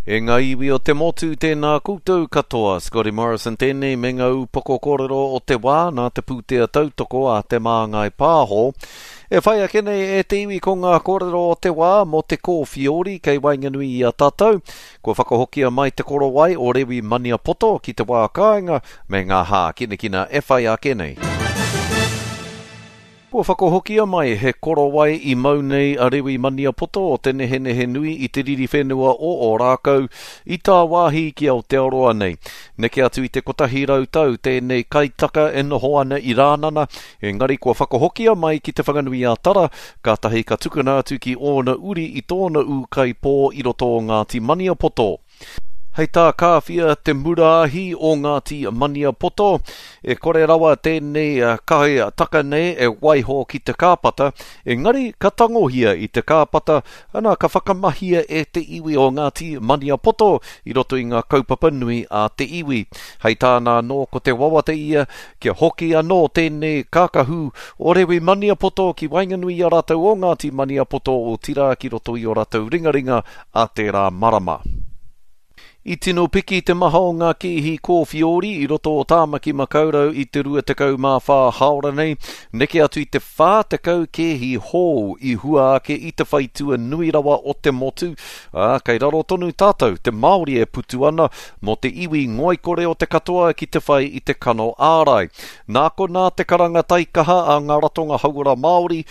E ngā iwi o te motu, tēnā koutou katoa. Scotty Morrison tēnei me ngā upoko kōrero o te wā nā te pūtea tautoko a Te Māngai Pāho. E whai ake nei e te iwi ko ngā kōrero o te wā mō te kōwhiori kei waenganui i a tātou. Kua whakahokia mai te korowai o Rewi Maniapoto ki te wā kāinga me ngā hākinakina e whai ake nei. Kua whakahokia mai he korowai i mau nei a Rewi Maniapoto o Te Nehenehenui i te riri whenua o Ōrākau i tāwāhi ki Aotearoa nei. Neke atu i te 100 tau tēnei kaitaka e noho ana i Rānana, engari kua whakahokia mai ki Te Whanganui-a-Tara, kātahi ka tukuna atu ki ōna uri i tōna ūkaipō i roto o Ngāti Maniapoto. Hei tā Kāwhia Te Muraahi o Ngāti Maniapoto, e kore rawa tēnei kai taka nei e waiho ki te kāpata, engari ka tangohia i te kāpata, ana ka whakamahia e te iwi o Ngāti Maniapoto i roto i ngā kaupapa nui a te iwi. Hei tāna anō ko te wawata ia kia hoki anō tēnei kākahu o Rewi Maniapoto ki waenganui i a rātou o Ngāti Maniapoto otirā ki roto i ō rātou ringaringa a tērā marama. I tino piki te maha o ngā kēhi kōwhiori i roto o Tāmaki Makaurau i te 24 hāora nei, neke atu i te 40 kēhi hou i hua ake i te whaitua nui rawa o te motu, ā, kei raro tonu tātou, te Māori e putu ana, mō te iwi ngoikore o te katoa ki te whai i te kano ārai. Nā konā te karanga taikaha a ngā ratonga hauora Māori,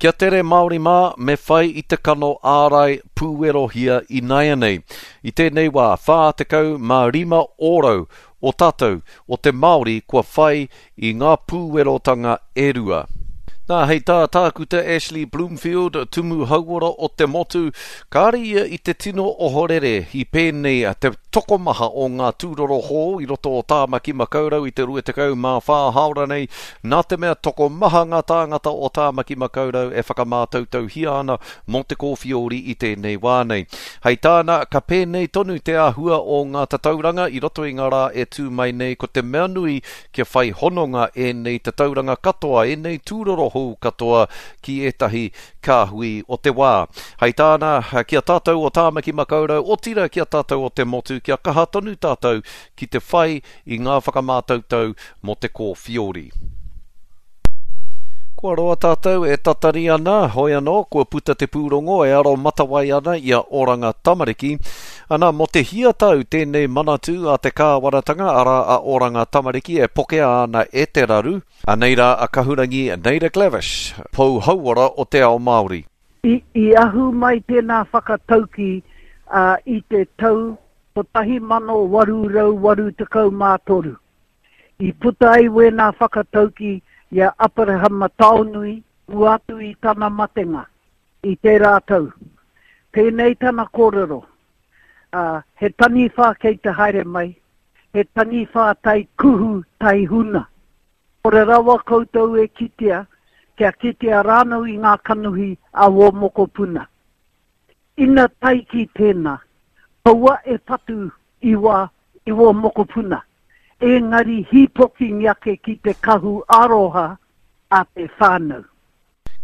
Kia tere Māori mā, me whai i te kano ārai pūwerohia inaianei. I tēnei wā, 45 ōrau o tātou, o te Māori kua whai i ngā pūwerotanga e rua. Nā, hei tā Tākuta Ashley Bloomfield, Tumu Hauora o te motu, kāre ia i te tino ohorere i pēnei te tokomaha o ngā tūroro hou i roto o Tāmaki Makaurau i te 24 hāora nei, nā te mea tokomaha ngā tāngata o Tāmaki Makaurau e whakamātautauhia ana mō te kōwhiori i tēnei wā nei. Hei tāna, ka pēnei tonu te āhua o ngā tatauranga i roto i ngā rā e tū mai nei, ko te mea nui kia whai hononga ēnei tatauranga katoa, ēnei tūroro hou katoa ki ētahi kāhui o te wā. Hei tāna, ki a tātou o Tāmaki Makaurau, otirā ki a tātou o te motu, kia kaha tonu tātou ki te whai i ngā whakamātautau mō te kōwhiori. Kua roa tātou e tatari ana, hoi anō, kua puta te pūrongo e aro matawai ana i a Oranga Tamariki. Ana, mō te hia tau tēnei manatū a te kāwanatanga, arā a Oranga Tamariki e pokea ana e te raru. Anei rā a Kahurangi Naida Glavish, pou hauora o te ao Māori. I ahu mai tēnā whakatauki i te tau 1883. I puta ai wēnā whakatauki i a Aperahama Taonui mua atu i tana matenga i tērā tau. Pēnei tana kōrero, ā, he taniwha kei te haere mai, he taniwha tai kuhu, tai huna. Kore rawa koutou e kitea, kia kitea rānō i ngā kanohi a wō mokopuna. Ina tae ki tēnā, kaua e patu i wā, i wō mokopuna, engari hīpokingi ake ki te kahu aroha a te whānau.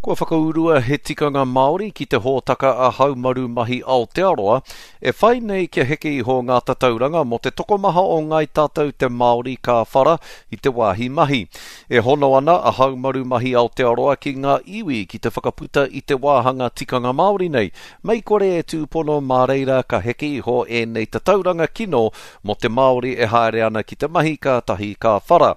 Kua whakaurua he tikanga Māori ki te hōtaka a Haumaru Mahi Aotearoa, e whai nei kia heke iho ngā tatauranga mō te tokomaha o ngāi tātou te Māori ka whara i te wāhi mahi. E hono ana a Haumaru Mahi Aotearoa ki ngā iwi ki te whakaputa i te wāhanga tikanga Māori nei, mei kore e tūpono mā reira ka heke iho ēnei tatauranga kino mō te Māori e haere ana ki te mahi kātahi ka whara.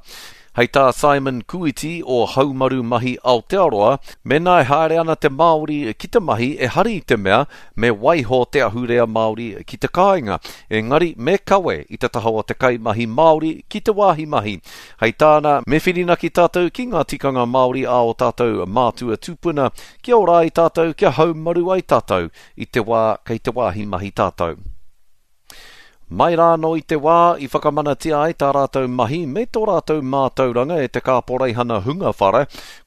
Hei tā Simon Kuiti o Haumaru Mahi Aotearoa, mēnā e haere ana te Māori ki te mahi ehara i te mea me waiho te ahurea Māori ki te kāinga, engari me kawe i te taha o te kaimahi Māori ki te wāhi mahi. Hei tāna, me whirinaki tātou ki ngā tikanga Māori a ō tātou mātua tūpuna, kia ora ai tātou, kia haumaru ai tātou i te wā kei te wāhi mahi tātou. Mai rā anō i te wā i whakamanatia ai tā rātou mahi me tō rātou mātauranga e te kāporeihana hunga whara,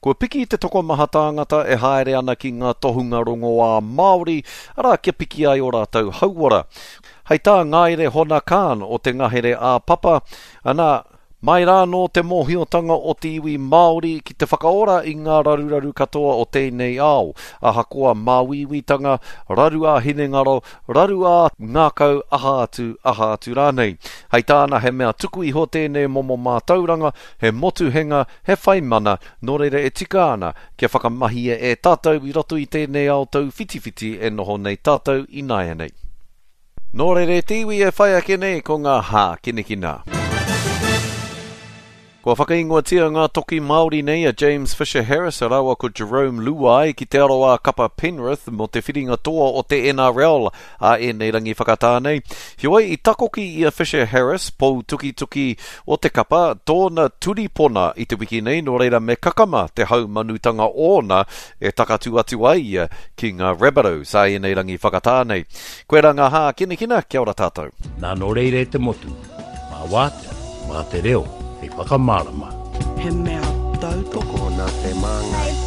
kua piki te tokomaha tāngata e haere ana ki ngā tohunga rongoā Māori, arā kia piki ai ō rātou hauora. Hei tā Ngaire Hona Khan o te ngahere ā-papa, ana, Mai rā anō te mōhiotanga o te iwi Māori ki te whakaora i ngā raruraru katoa o tēnei ao, ahakoa māuiuitanga, raru ā-hinengaro, raru ā-ngākau, aha atu, aha atu rānei. Hei tāna he mea tuku iho tēnei momo mātauranga, he motuhenga, he whai mana, nō reira e tika ana kia whakamahia e tātou i roto i tēnei ao tauwhitiwhiti e noho nei tātou ināianei. Nō reira e te iwi e whai ake nei ko ngā hākinakina. Kua whakaingoatia ngā toki Māori nei a James Fisher Harris rāua ko Jarome Luai ki te aroā kapa Penrith mō te whiringa toa o te NRL a ēnei rangi whakatā nei. Heoi, i takoki i a Fisher Harris, pou tukituki o te kapa, tōna turipona i te wiki nei, nō reira me kakama te haumanutanga ōna e takatū atu ai ia ki ngā Rabbitohs a ēnei rangi whakatā nei. Koirā ngā hākinakina, kia ora tātou. Nā nō reira e te motu, mā wātea, mā te reo hei whakamārama. He mea tautoko. Tokona te māngai.